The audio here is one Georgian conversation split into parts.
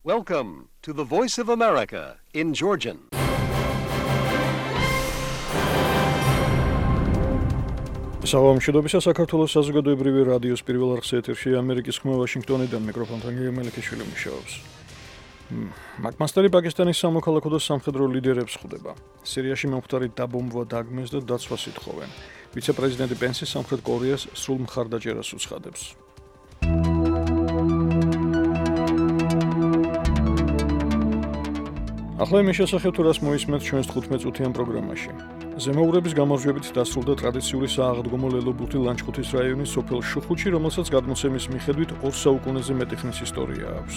Welcome to the Voice of America in Georgian. Საღამოშობისა საქართველოს საზოგადოებრივი რადიოს პირველ არხის ეთერში ამერიკის ხმა ვაშინგტონიდან მიკროფონთან გიორგი მელიქიშვილი მუშაობს. მაკმასტერი პაკისტანის სამოქალაქო და სამხედრო ლიდერებს ხვდება. სირიაში მომხდარი დაბომბვა დაგმეს და დაცვას ითხოვენ. ვიცე-პრეზიდენტი პენსი სამხრეთ კორეას სრულ მხარდაჭერას უცხადებს. ახლა იმის შესახებ თუ რას მოისმენთ ჩვენს 15 წუთიან პროგრამაში. ზემოურების გამარჯვებით დასრულდა ტრადიციული სააღდგომო ლელობურთი ლანჩხუთის რაიონის სოფელ შუხუთში, რომელსაც გადმოცემის მიხედვით 2 საუკუნეზე მეტი ხნის ისტორია აქვს.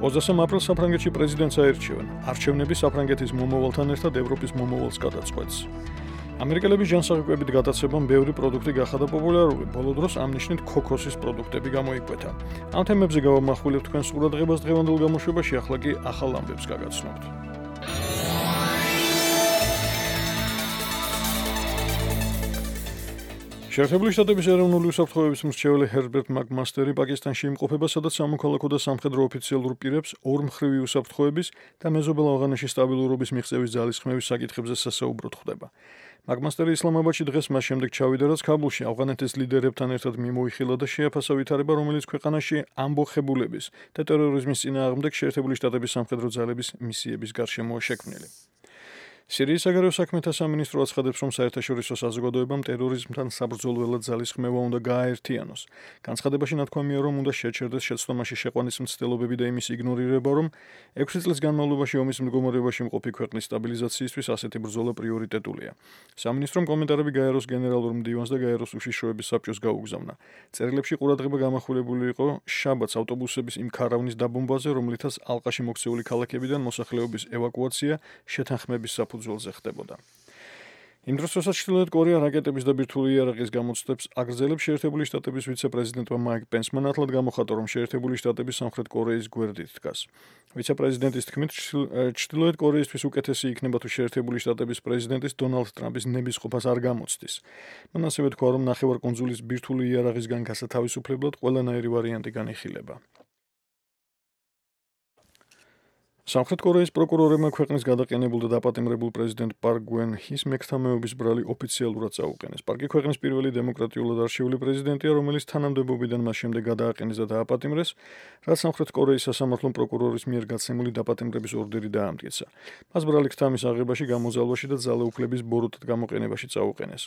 23 აპრილს საფრანგეთში პრეზიდენტს აერჩევენ. არჩევნები საფრანგეთის მომავალთან ერთად ევროპის მომავალს გადაწყვეტს. ამერიკელების ჯანსაღმოებით გატაცებამ ბევრი პროდუქტი გახადა პოპულარული. ბოლო დროს ამ ნიშნით ქოქოსის პროდუქტები გამოიკვეთა. ამ თემებზე გავამახვილებთ თქვენს ყურადღებას დღევანდელ გამოშვებაში, ახლა კი ახალ ამბებს გაგაცნობთ. შეერთებული შტატების ეროვნული უსაფრთხოების მრჩეველი ჰერბერტ მაკმასტერი პაკისტანში იმყოფება, სადაც სამოქალაქო და სამხედრო ოფიციალურ პირებს ორმხრივი უსაფრთხოების და მეზობელ ავღანეთში სტაბილურობის მიღწევის ძალისხმევის საკითხებზე სასაუბროდ ხვდება. მაკმასტერი ისლამაბადში დღეს მას შემდეგ ჩავიდა, რაც ქაბულში ავღანეთის ლიდერებთან ერთად მიმოიხილა და შეაფასა ვითარება, რომელიც ქვეყანაში ამბოხებულების და ტერორიზმის წინააღმდეგ შეერთებული შტატების სამხედრო ძალების მისიების გარშემოა შექმნილი. სირიის საგარეო საქმეთა სამინისტრო აცხადებს, რომ საერთაშორისო საზოგადოებამ ტერორიზმთან საბრძოლველად ძალისხმევა უნდა გააერთიანოს. განცხადებაში ნათქვამია, რომ უნდა შეჩერდეს შეცდომაში შეყვანის მცდელობები და იმის იგნორირება, რომ 6 წლის განმავლობაში ომის მდგომარეობაში მყოფი ქვეყნის სტაბილიზაციისთვის ასეთი ბრძოლა პრიორიტეტულია. სამინისტრომ კომენტარები გაეროს გენერალურ მდივანს და გაეროს უშიშროების საბჭოს გაუგზავნა. წერილებში ყურადღება გამახვილებული იყო შაბათს ავტობუსების იმ ქარავნის დაბომბვაზე, რომლითაც ალყაში მოქცეული ქალაქებიდან მოსახლეობის ევაკუაცია შეთანხმების საფუძველზე ხდებოდა. იმ დროს, როცა ჩრდილოეთ კორეა რაკეტების და ბირთვული იარაღის გამოცდებს აგრძელებს, შეერთებული შტატების ვიცე-პრეზიდენტმა მაიკ პენსმა ნათლად გამოხატა, რომ შეერთებული შტატები სამხრეთ კორეის გვერდით დგას. ვიცე-პრეზიდენტის თქმით, ჩრდილოეთ კორეისთვის უკეთესი იქნება, თუ შეერთებული შტატების პრეზიდენტის დონალდ ტრამპის ნებისყოფას არ გამოცდის. მან ასევე თქვა, რომ ნახევარკუნძულის ბირთვული იარაღისგან გასათავისუფლებლად ყველანაირი ვარიანტი განიხილება. სამხრეთ კორეის პროკურორებმა ქვეყნის გადაყენებულ და დაპატიმრებულ პრეზიდენტ პარკ გუენ ჰის მეხთამეობის ბრალი ოფიციალურად წაუყენეს. პარკი ქვეყნის პირველი დემოკრატიულად არჩეული პრეზიდენტია, რომელიც თანამდებობიდან მას შემდეგ გადააყენეს და დააპატიმრეს, რაც სამხრეთ კორეის სასამართლო პროკურორის მიერ გაცემული დაპატიმრების ორდერი დაამტკიცა. მას ბრალი ქთამის აღებაში, გამოზალვაში და ძალაუფლების ბოროტად გამოყენებაში წაუყენეს.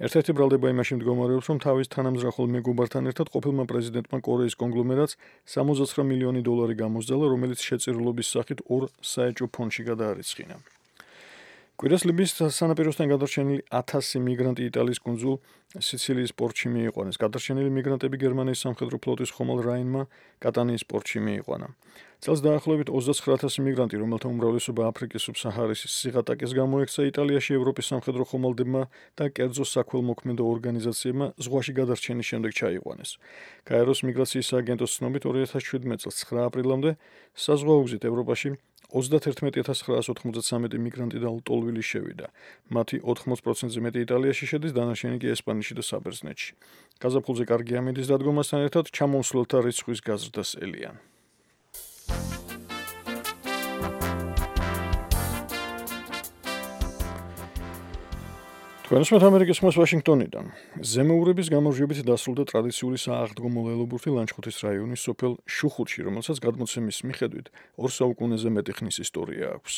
ერთ-ერთი ბრალდება იმაში მდგომარეობს, რომ თავის თანამზრახულ მეგობართან ერთად ყოფილმა პრეზიდენტმა კორეის კონგლომერატს 69 მილიონი დოლარი გამოსძალა, რომელიც შეწირულობის სახით 2 საეჭვო ფონდში გადაარიცხინა. კვირას ლიბიის სანაპიროსთან გადარჩენილი 1000 მიგრანტი იტალიის კუნძულ სიცილიის პორტში მიიყვანეს. გადარჩენილი მიგრანტები გერმანიის სამხედრო ფლოტის ხომალდ რაინმა კატანიის პორტში მიიყვანა. წელს დაახლოებით 29000 მიგრანტი, რომელთა უმრავლესობა აფრიკის სუბსაჰარის სიღატაკეს გამოექცა, იტალიაში ევროპის სამხედრო ხომალდებმა და კერძო საქველმოქმედო ორგანიზაციებმა ზღვაში გადარჩენის შემდეგ ჩაიყვანეს. გაეროს მიგრაციის სააგენტოს ცნობით 2017 წელს 9 აპრილამდე საზღვაუგზით ევროპაში 31993 მიგრანტი და ლტოლვილი შევიდა. მათი 80%-ზე მეტი იტალიაში შედის, დანარჩენი კი ესპანეთში და საბერძნეთში. გაზაფხულზე კარგი ამინდის დადგომასთან ერთად ჩამომსვლელთა რიცხვის გაზრდას ელიან. თქვენს ამერიკის ხმას ვაშინგტონიდან. ზემოურების გამარჯვებით დასრულდა ტრადიციული სააღდგომო ლელობურთი ლანჩხუთის რაიონის სოფელ შუხუთში, რომელსაც გადმოცემის მიხედვით 2 საუკუნეზე მეტი ხნის ისტორია აქვს.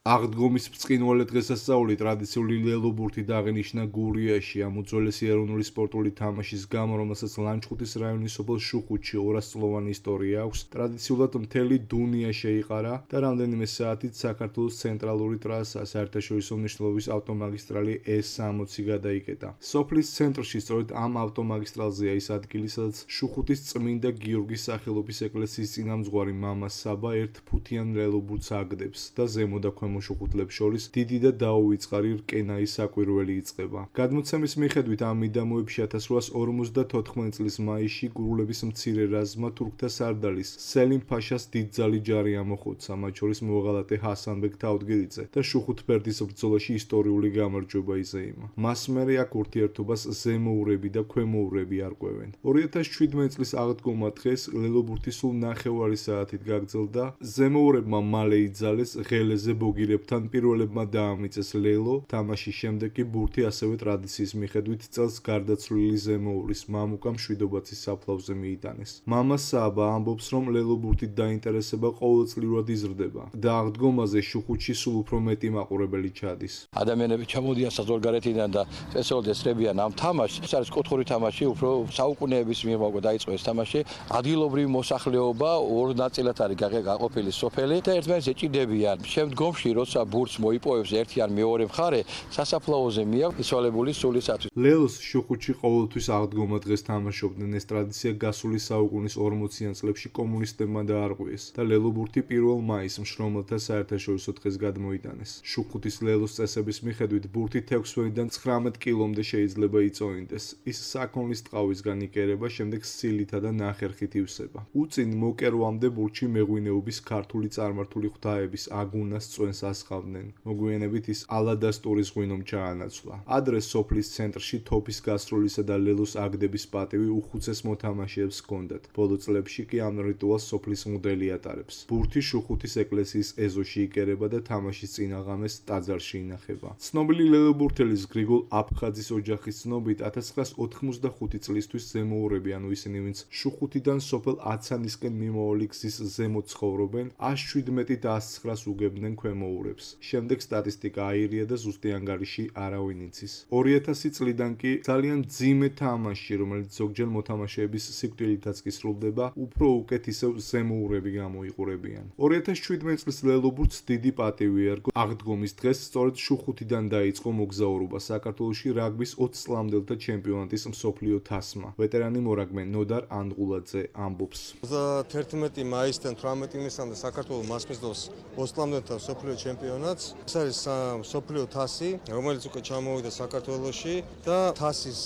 აღდგომის ბრწყინვალე დღესასწაული ტრადიციული ლელობურთი დააღნიშნა გურიაში ამ უძველესი ეროვნული სპორტული თამაშის გამო, რომელსაც ლანჩხუთის რაიონის სოფელ შუხუთში 200-წლოვანი ისტორია აქვს. ტრადიციულად მთელი დუნია შეიყარა და რამდენიმე საათით საქართველოს ცენტრალური ტრასა, საერთაშორისო მნიშვნელობის ავტომაგისტრალი S60 გადაიკეტა. სოფლის ცენტრში სწორედ ამ ავტომაგისტრალზეა ის ადგილი, სადაც შუხუთის წმინდა გიორგის სახელობის ეკლესიის წინამძღვარი მამა საბა ერთ ფუთიან ლელობურთს აგდებს და ზემო და ქვემო შუხუთლებს შორის დიდი და დაუვიწყარი რკენაის საკვირველი იწყება. გადმოცემის მიხედვით ამ მიდამოებში 1854 წლის მაისში გურულების მცირე რაზმმა თურქთა სარდალის სელიმ ფაშას დიდძალი ჯარი ამოხოცა, მათ შორის მოღალატე ჰასანბეგ თავდგირიძე და შუხუთბერდის ბრძოლაში ისტორიული გამარჯვება იზეიმა. მას მერე აქ ურთიერთობას ზემოურები და ქვემოურები არკვევენ. 2017 წლის აღდგომა დღეს ლელობურთი სულ 9 საათით გაგრძელდა. ზემოურებმა მალე იძალეს ღელეზე ბოგირებთან, პირველებმა დაამიწეს ლელო. თამაშის შემდეგ კი ბურთი ასევე ტრადიციის მიხედვით წელს გარდაცვლილი ზემოურის მამუკა მშვიდობაცის საფლავზე მიიტანეს. მამა საბა ამბობს, რომ ლელობურთით დაინტერესება ყოველწლიურად იზრდება და აღდგომაზე შუხუთში სულ უფრო მეტი მაყურებელი ჩადის. ადამიანები ჩამოდიან საზღვარგარეთიდან და წესრიგად ესწრებიან ამ თამაშს. ეს არის კუთხური თამაში, უფრო საუკუნეების მიღმა დაიწყო ეს თამაში. ადგილობრივი მოსახლეობა ორ ნაწილად არის გაყოფილი სოფელი და ერთმანეთს ეჭიდებიან. შემდგომში, როცა ბურთს მოიპოვებს ერთი ან მეორე მხარე, სასაფლაოზე მიაქვს ისვალებული სულისათვის. ლელოს შუხუთში ყოველთვის აღდგომა დღეს თამაშობდნენ. ეს ტრადიცია გასული საუკუნის 40-იან წლებში კომუნისტებმა დაარღვიეს და ლელობურთი 1 მაისს მშრომელთა საერთაშორისო დღეს გადმოიტანეს. შუხუთის ლელოს წესების მიხედვით ბურთი 6-დან 19 კილომდე შეიძლება იწოინდეს. ის საქონლის ტყავისგან იკერება, შემდეგ სილითა და ნახერხით ივსება. უწინ მოკერვამდე ბურთში მეღვინეობის ქართული წარმართული ღვთაების აგუნას წვენს ასხავდნენ. მოგვიანებით ის ალადასტურის ღვინომ ჩაანაცვლა. ადრე სოფლის ცენტრში თოფის გასროლისა და ლელოს აგდების პატივი უხუცეს მოთამაშეებს ჰქონდათ. ბოლო წლებში კი ამ რიტუალს სოფლის მღვდელი ატარებს. ბურთი შუხუთის ეკლესიის ეზოში იკერება და თამაშის წინა ღამეს ტაძარში ინახება. ცნობილი ლელობურთელის გრიგოლ აფხაძის ოჯახის ცნობით 1985 წლისთვის ზემოურები, ანუ ისინი, ვინც შუხუთიდან სოფელ აცანისკენ მიმავალი გზის ზემოთ ცხოვრობენ, 117 და 109 უგებდნენ ქვემოურებს. შემდეგ სტატისტიკა აირია და ზუსტი ანგარიში არავინ იცის. 2000 წლიდან კი ძალიან მძიმე თამაში, რომელიც ზოგჯერ მოთამაშეების სიკვდილითაც კი სრულდება, უფრო უკეთ ისევ ზემოურები გამოიყურებიან. 2017 წლის ლელობურთს დიდი პატივი ერგო. აღდგომის დღეს სწორედ შუხუთიდან დაიწყო მოგზაურობა საქართველოში რაგბის 20 წლამდელთა ჩემპიონატის მსოფლიო თასმა. ვეტერანი მორაგბე ნოდარ ანდღულაძე ამბობს. 11 მაისიდან 18 ივნისამდე საქართველოს მასპინძლობს 20 წლამდელთა მსოფლიო ჩემპიონატს. ეს არის მსოფლიო თასი, რომელიც უკვე ჩამოვიდა საქართველოში და თასის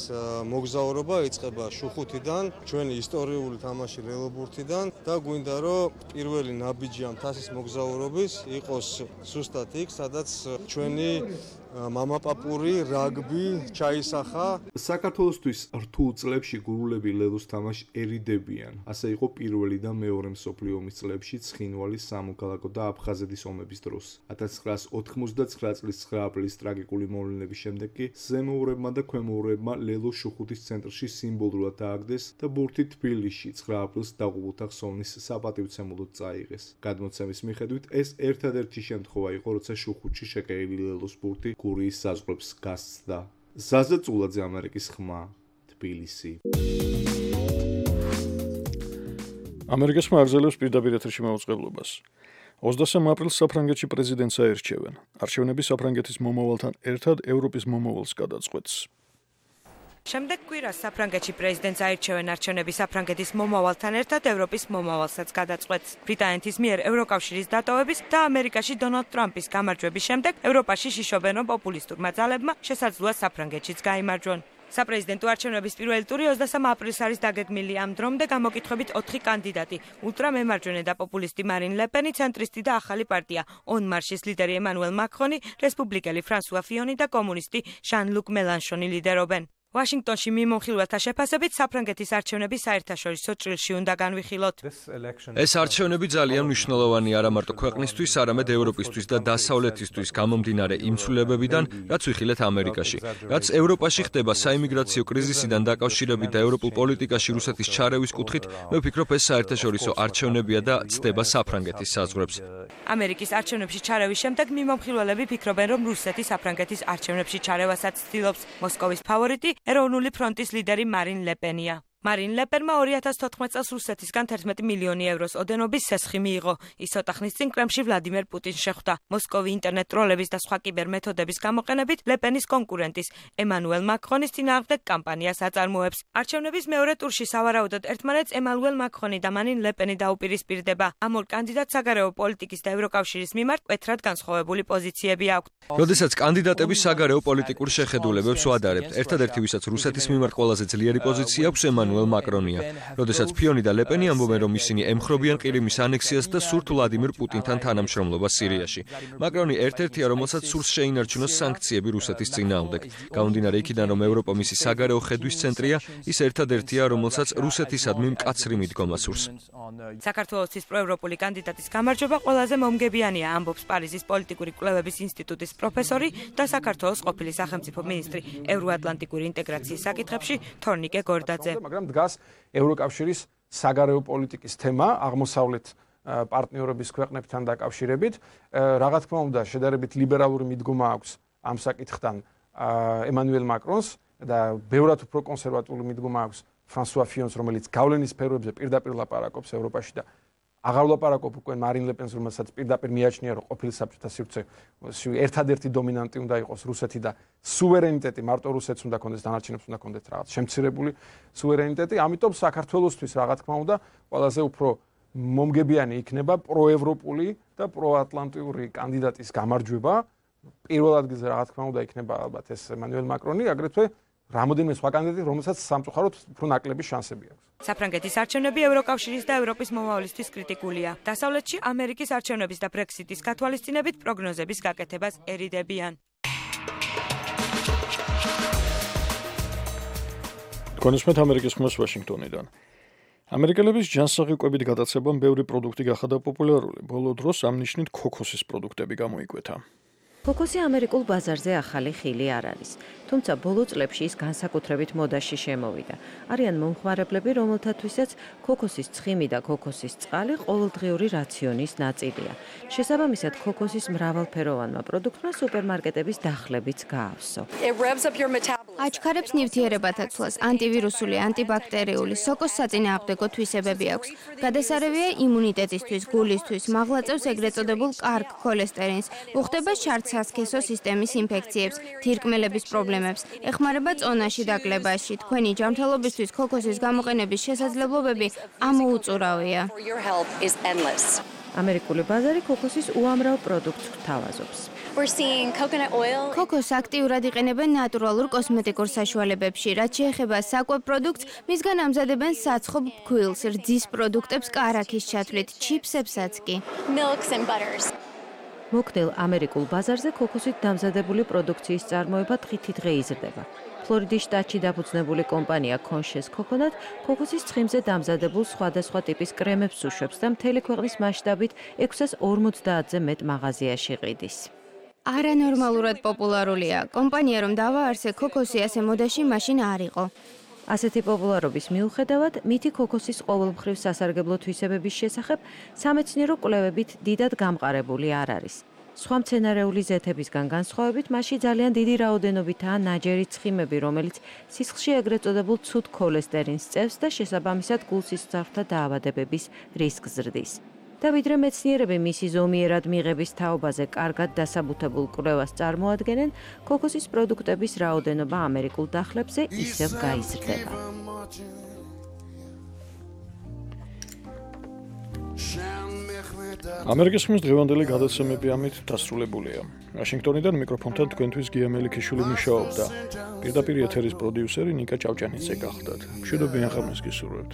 მოგზაურობა იწყება შუხუთიდან, ჩვენი ისტორიული თამაში ლელობურთიდან და გვინდა რომ პირველი ნაბიჯი ამ თასის მოგზაურობის იყოს ზუსტად იქ, სადაც ჩვენი მამაპაპური რაგბი ჩაისახა. საქართველოსთვის რთულ წლებში გურულები ლელოს თამაშს ერიდებიან. ასე იყო პირველი და მეორე მსოფლიო ომის წლებში ცხინვალის, სამოქალაქო და აფხაზეთის ომების დროს. 1989 წლის 9 აპრილის ტრაგიკული მოვლენების შემდეგ კი ზემოურებმა და ქვემოურებმა ლელოს შუხუთის ცენტრში სიმბოლურად დააგდეს და ბურთი თბილისში 9 აპრილს დაღუპულთა ხსოვნის საპატივცემულოდ წაიღეს. გადმოცემის მიხედვით ეს ერთადერთი შემთხვევა იყო, როცა შუხუთში შეკერილი ლელოს ბურთი გურიის საზღვრებს გასცდა. ზაზა წულაძე, ამერიკის ხმა, თბილისი. ამერიკის ხმა აგრძელებს პირდაპირ ეთერში მაუწყებლობას. 23 აპრილს საფრანგეთში პრეზიდენტს აერჩევენ. არჩევნები საფრანგეთის მომავალთან ერთად ევროპის მომავალს გადაწყვეტს. შემდეგ კვირას საფრანგეთში პრეზიდენტს აირჩევენ. არჩევნები საფრანგეთის მომავალთან ერთად ევროპის მომავალსაც გადაწყვეტს. ბრიტანეთის მიერ ევროკავშირის დატოვების და ამერიკაში დონალდ ტრამპის გამარჯვების შემდეგ ევროპაში შიშობენ, რომ პოპულისტურმა ძალებმა შესაძლოა საფრანგეთშიც გაიმარჯვონ. საპრეზიდენტო არჩევნების პირველი ტური 23 აპრილს არის დაგეგმილი. ამ დრომდე გამოკითხვებით 4 კანდიდატი: ულტრამემარჯვენე და პოპულისტი მარინ ლეპენი, ცენტრისტი და ახალი პარტია ონ მარშის ლიდერი ემანუელ მაკრონი, რესპუბლიკელი ფრანსუა ფიონი და კომუნისტი ჟან-ლუკ მელანშონი ლიდერობენ. ვაშინგტონში მიმოხილველთა შეფასებით საფრანგეთის არჩევნები საერთაშორისო ჭრილში უნდა განვიხილოთ. ეს არჩევნები ძალიან მნიშვნელოვანი არა მარტო ქვეყნისთვის, არამედ ევროპისთვის და დასავლეთისთვის გამომდინარე იმ ცვლილებებიდან, რაც ვიხილეთ ამერიკაში. რაც ევროპაში ხდება საიმიგრაციო კრიზისიდან დაკავშირებით და ევროპულ პოლიტიკაში რუსეთის ჩარევის კუთხით, მე ვფიქრობ, ეს საერთაშორისო არჩევნებია და ცდება საფრანგეთის საზღვრებს. ამერიკის არჩევნებში ჩარევის შემდეგ მიმოხილველები ფიქრობენ, რომ რუსეთი საფრანგეთის არჩევნებში ჩარევასაც ცდილობს. მოსკოვის ფავორიტი ეროვნული ფრონტის ლიდერი მარინ ლეპენია. მარინ ლეპენმა 2014 წელს რუსეთისგან 11 მილიონი ევროს ოდენობის სესხი მიიღო. ის ცოტა ხნის წინ კრემლში ვლადიმერ პუტინს შეხვდა. მოსკოვი ინტერნეტ ტროლების და სხვა კიბერმეთოდების გამოყენებით ლეპენის კონკურენტის ემანუელ მაკრონის წინააღმდეგ კამპანიას აწარმოებს. არჩევნების მეორე ტურში სავარაუდოდ ერთმანეთს ემანუელ მაკრონი და მარინ ლეპენი დაუპირისპირდება. ამ ორ კანდიდატს საგარეო პოლიტიკის და ევროკავშირის მიმართ მკვეთრად განსხვავებული პოზიციები აქვთ. როდესაც კანდიდატები საგარეო პოლიტიკურ შეხედულებებს ვადარებთ, ერთადერთი ვისაც რუსეთის მიმართ ყველაზე ძლიერი პოზიცია აქვს ემანუელ მაკრონია. როდესაც ფიონი და ლეპენი ამბობენ, რომ ისინი ემხრობიან ყირიმის ანექსიას და სურთ ვლადიმერ პუტინთან თანამშრომლობას სირიაში. მაკრონი ერთ-ერთია, რომელსაც სურს შეინარჩუნოს სანქციები რუსეთის წინააღმდეგ. გამომდინარე იქიდან, რომ ევროპა მისი საგარეო ხედვის ცენტრია, ის ერთადერთია, რომელსაც რუსეთისადმი მკაცრი მიდგომა სურს. საქართველოს პროევროპული კანდიდატის გამარჯვება ყველაზე მომგებიანია, ამბობს პარიზის პოლიტიკური კვლევების ინსტიტუტის პროფესორი და საქართველოს ყოფილი სახელმწიფო მინისტრი ევროატლანტიკური ინტეგრაციის საკითხებში თორნიკე გორდაძე. მაგრამ დგას ევროკავშირის საგარეო პოლიტიკის თემა აღმოსავლეთ პარტნიორების ქვეყნებთან დაკავშირებით. Რა თქმა უნდა, შედარებით ლიბერალური მიდგომა აქვს ამ საკითხთან ემანუელ მაკრონს და ბევრად უფრო კონსერვატული მიდგომა აქვს ფრანსუა ფიონს, რომელიც გავლენის სფეროებზე პირდაპირ ლაპარაკობს ევროპაში და აღარ ვლაპარაკობ უკვე მარინ ლეპენს, რომელსაც პირდაპირ მიაჩნია, რომ ყოფილი საბჭოთა სივრცეში ერთადერთი დომინანტი უნდა იყოს რუსეთი და სუვერენიტეტი მარტო რუსეთს უნდა კონდეს, დანარჩენებს უნდა კონდეთ რაღაც შემცირებული სუვერენიტეტი. ამიტომ საქართველოსთვის რა თქმა უნდა, ყველაზე უფრო მომგებიანი იქნება პროევროპული და პროატლანტიური კანდიდატის გამარჯვება. პირველ ადგილზე რა თქმა უნდა იქნება ალბათ ეს ემანუელ მაკრონი, აგრეთვე რამოდენიმე სხვა კანდიდატი, რომელსაც სამწუხაროდ უფრო ნაკლები შანსები აქვს. საფრანგეთის არჩევნები ევროკავშირის და ევროპის მომავლისთვის კრიტიკულია. დასავლეთში ამერიკის არჩევნების და ბრექსიტის გათვალისწინებით პროგნოზების გაკეთებას ერიდებიან. კონსუმენტ ამერიკის ხმას ვაშინგტონიდან. ამერიკელების ჯანსაღი კვებით გადაცებამ ბევრი პროდუქტი გახადა პოპულარული. ბოლო დროს ამ ნიშნით ქოქოსის პროდუქტები გამოიკვეთა. ქოქოსი ამერიკულ ბაზარზე ახალი ხილი არ არის, თუმცა ბოლო წლებში ის განსაკუთრებით მოდაში შემოვიდა. არიან მომხმარებლები, რომელთათვისაც ქოქოსის ცხიმი და ქოქოსის წყალი ყოველდღიური რაციონის ნაწილია. შესაბამისად, ქოქოსის მრავალფეროვანმა პროდუქტმა სუპერმარკეტების დახლებიც გაავსო. აჩქარებს ნივთიერებათა ცვლას, ანტივირუსული, ანტიბაქტერიული, სოკოს საწინააღმდეგო თვისებები აქვს. გადასარევია იმუნიტეტისთვის, გულისთვის, მაღლაწევს ეგრეთ წოდებულ კარგ ქოლესტერინს, უხდება შარდ-სასქესო სისტემის ინფექციებს, თირკმელების პრობლემებს, ეხმარება წონაში დაკლებაში. თქვენი ჯანმრთელობისთვის ქოქოსის გამოყენების შესაძლებლობები ამოუწურავია. ამერიკული ბაზარი ქოქოსის უამრავ პროდუქტს გვთავაზობს. ქოქოსს აქტიურად იყენებენ ნატურალურ კოსმეტიკურ საშუალებებში, რაც შეეხება საკვებ პროდუქტს, მისგან ამზადებენ საცხობ ფქვილს, რძის პროდუქტებს კარაქის ჩათვლით, ჩიპსებსაც კი. მოქმედელ ამერიკულ ბაზარზე ქოქოსით დამზადებული პროდუქციის წარმოება დღითიდღე იზრდება. ფლორიდის შტატში დაფუძნებული კომპანია Conscious Coconut ქოქოსის ცხიმზე დამზადებულ სხვადასხვა ტიპის კრემებს უშვებს და მთელი ქვეყნის მასშტაბით 650-ზე მეტ მაღაზიაში ყიდის. არანორმალურად პოპულარულია. კომპანია რომ დავაარსე ქოქოსი ასე მოდაში მაშინ არ იყო. ასეთი პოპულარობის მიუხედავად, მითი ქოქოსის ყოველმხრივ სასარგებლო თვისებების შესახებ სამეცნიერო კვლევებით დიდად გამყარებული არ არის. სხვა მცენარეული ზეთებისგან განსხვავებით, მასში ძალიან დიდი რაოდენობითაა ნაჯერი ცხიმები, რომელიც სისხლში ეგრეთ წოდებულ ცუდ ქოლესტერინს წევს და შესაბამისად გულსისხლძარღვთა დაავადებების რისკს ზრდის. და ვიდრე მეცნიერები მისი ზომიერად მიღების თაობაზე კარგად დასაბუთებულ კვლევას წარმოადგენენ, ქოქოსის პროდუქტების რაოდენობა ამერიკულ დახლებზე ისევ გაიზრდება. ამერიკის ხმის დღევანდელი გადაცემები ამით დასრულებულია. ვაშინგტონიდან მიკროფონთან თქვენთვის გია მელიქიშვილი მუშაობდა. პირდაპირ ეთერის პროდიუსერი ნიკა ჭავჭანიძე გახლდათ. მშვიდობიან ღამეს გისურვებთ.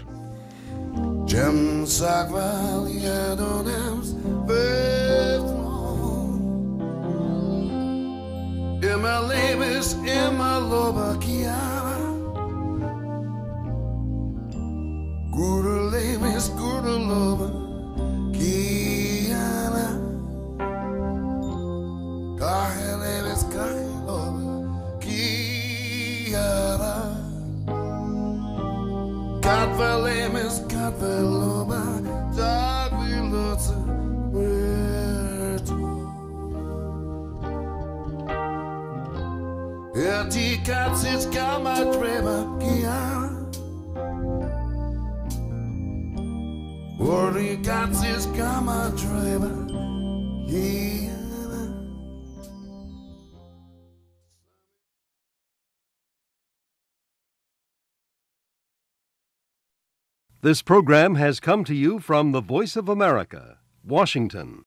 Die Katze ist gar mal drüber, ja. Worry got his gamma driver. Yeah. This program has come to you from the Voice of America, Washington.